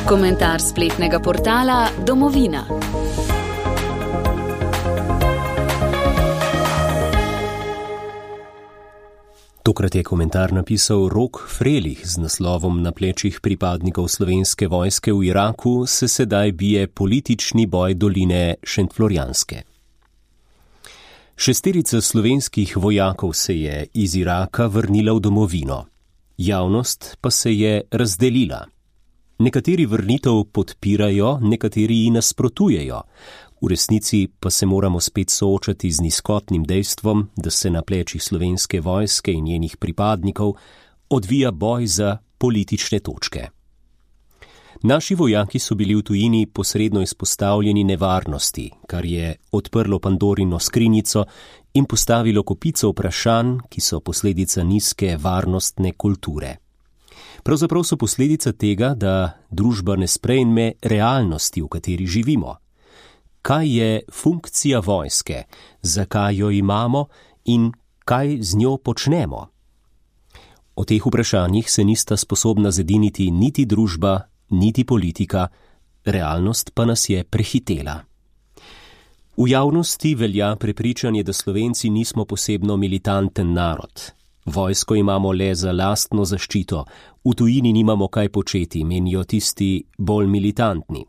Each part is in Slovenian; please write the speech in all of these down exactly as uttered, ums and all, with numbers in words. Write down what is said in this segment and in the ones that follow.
Komentar spletnega portala Domovina. Tokrat je komentar napisal Rok Frelih z naslovom Na plečih pripadnikov Slovenske vojske v Iraku se sedaj bije politični boj doline Šentflorjanske. Šesterica slovenskih vojakov se je iz Iraka vrnila v domovino. Javnost pa se je razdelila. Nekateri vrnitev podpirajo, nekateri ji nasprotujejo. V resnici pa se moramo spet soočati z nizkotnim dejstvom, da se na plečih Slovenske vojske in njenih pripadnikov odvija boj za politične točke. Naši vojaki so bili v tujini posredno izpostavljeni nevarnosti, kar je odprlo Pandorino skrinjico in postavilo kopico vprašanj, ki so posledica nizke varnostne kulture. Pravzaprav so posledica tega, da družba ne sprejme realnosti, v kateri živimo. Kaj je funkcija vojske, zakaj jo imamo in kaj z njo počnemo? O teh vprašanjih se nista sposobna zediniti niti družba, niti politika, realnost pa nas je prehitela. V javnosti velja prepričanje, da Slovenci nismo posebno militanten narod. Vojsko imamo le za lastno zaščito, v tujini nimamo kaj početi, menijo tisti bolj militantni.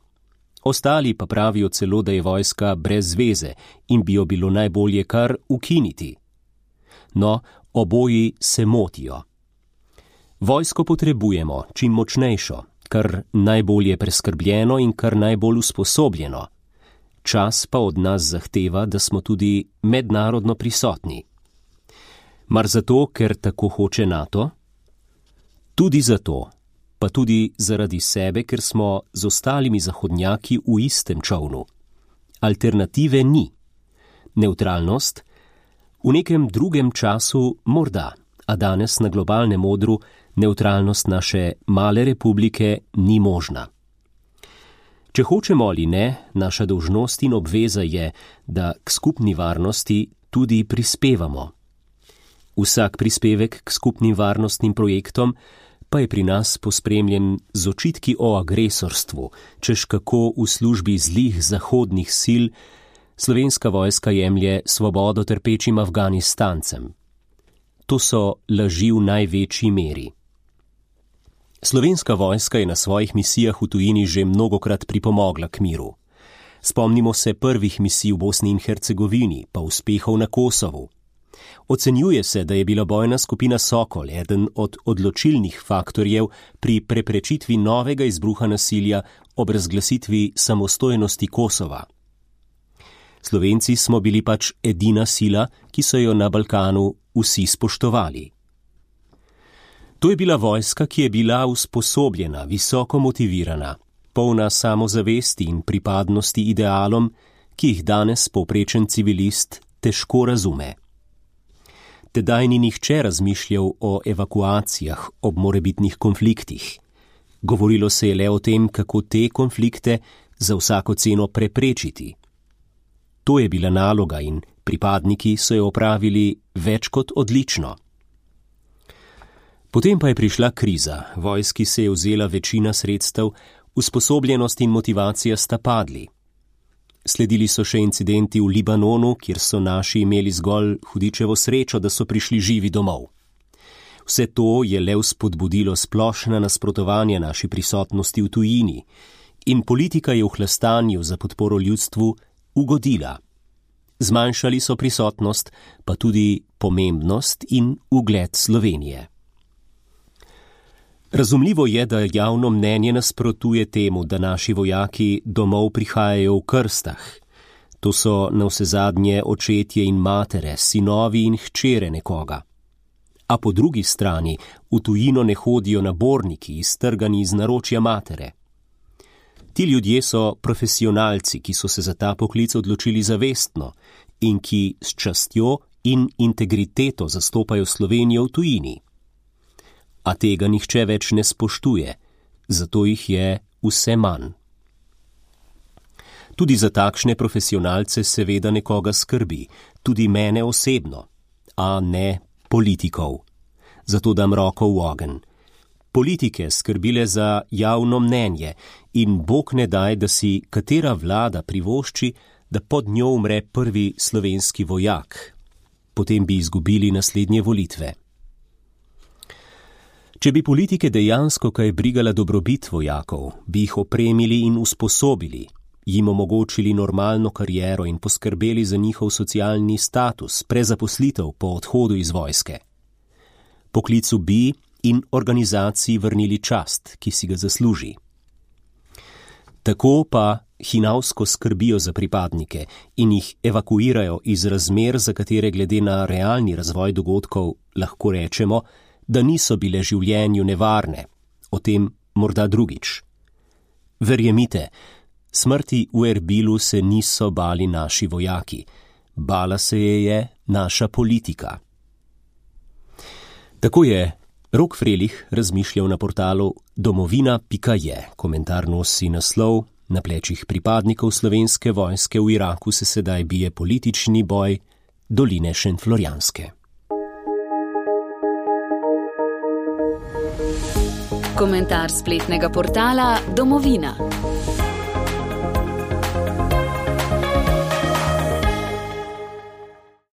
Ostali pa pravijo celo, da je vojska brez zveze in bi jo bilo najbolje kar ukiniti. No, oboji se motijo. Vojsko potrebujemo čim močnejšo, kar najbolje preskrbljeno in kar najbolj usposobljeno. Čas pa od nas zahteva, da smo tudi mednarodno prisotni. Mar zato, ker tako hoče NATO? Tudi zato, pa tudi zaradi sebe, ker smo z ostalimi zahodnjaki v istem čovnu. Alternative ni. Neutralnost? V nekem drugem času morda, a danes na globalnem odru neutralnost naše male republike ni možna. Če hočemo ali ne, naša dolžnost in obveza je, da k skupni varnosti tudi prispevamo. Vsak prispevek k skupnim varnostnim projektom pa je pri nas pospremljen z očitki o agresorstvu, češ kako v službi zlih zahodnih sil Slovenska vojska jemlje svobodo trpečim Afganistancem. To so laži v največji meri. Slovenska vojska je na svojih misijah v tujini že mnogokrat pripomogla k miru. Spomnimo se prvih misij v Bosni in Hercegovini, pa uspehov na Kosovu. Ocenjuje se, da je bila bojna skupina Sokol eden od odločilnih faktorjev pri preprečitvi novega izbruha nasilja ob razglasitvi samostojnosti Kosova. Slovenci smo bili pač edina sila, ki so jo na Balkanu vsi spoštovali. To je bila vojska, ki je bila usposobljena, visoko motivirana, polna samozavesti in pripadnosti idealom, ki jih danes povprečen civilist težko razume. Tedaj ni nihče razmišljal o evakuacijah ob morebitnih konfliktih. Govorilo se je le o tem, kako te konflikte za vsako ceno preprečiti. To je bila naloga in pripadniki so jo opravili več kot odlično. Potem pa je prišla kriza, vojski se je vzela večina sredstev, usposobljenost in motivacija sta padli. Sledili so še incidenti v Libanonu, kjer so naši imeli zgolj hudičevo srečo, da so prišli živi domov. Vse to je le vzpodbudilo splošna nasprotovanja naši prisotnosti v tujini in politika je v hlastanju za podporo ljudstvu ugodila. Zmanjšali so prisotnost, pa tudi pomembnost in ugled Slovenije. Razumljivo je, da javno mnenje nasprotuje temu, da naši vojaki domov prihajajo v krstah. To so navsezadnje očetje in matere, sinovi in hčere nekoga. A po drugi strani v tujino ne hodijo naborniki, iztrgani iz naročja matere. Ti ljudje so profesionalci, ki so se za ta poklic odločili zavestno in ki s častjo in integriteto zastopajo Slovenijo v tujini. A tega nihče več ne spoštuje, zato jih je vse manj. Tudi za takšne profesionalce seveda nekoga skrbi, tudi mene osebno, a ne politikov. Zato dam roko v ogenj. politike skrbile za javno mnenje in Bog ne daj, da si katera vlada privošči, da pod njo umre prvi slovenski vojak. Potem bi izgubili naslednje volitve. Če bi politike dejansko kaj brigala dobrobit vojakov, bi jih opremili in usposobili, jim omogočili normalno kariero in poskrbeli za njihov socialni status, prezaposlitev po odhodu iz vojske. Poklicu bi in organizaciji vrnili čast, ki si ga zasluži. Tako pa hinavsko skrbijo za pripadnike in jih evakuirajo iz razmer, za katere glede na realni razvoj dogodkov lahko rečemo, da niso bile življenju nevarne, o tem morda drugič. Verjemite, smrti v Erbilu se niso bali naši vojaki, bala se je je naša politika. Tako je Rok Frelih razmišljal na portalu domovina pika je. Komentar nosi naslov: Na plečih pripadnikov slovenske vojske v Iraku se sedaj bije politični boj doline Šentflorjanske. Komentar spletnega portala Domovina.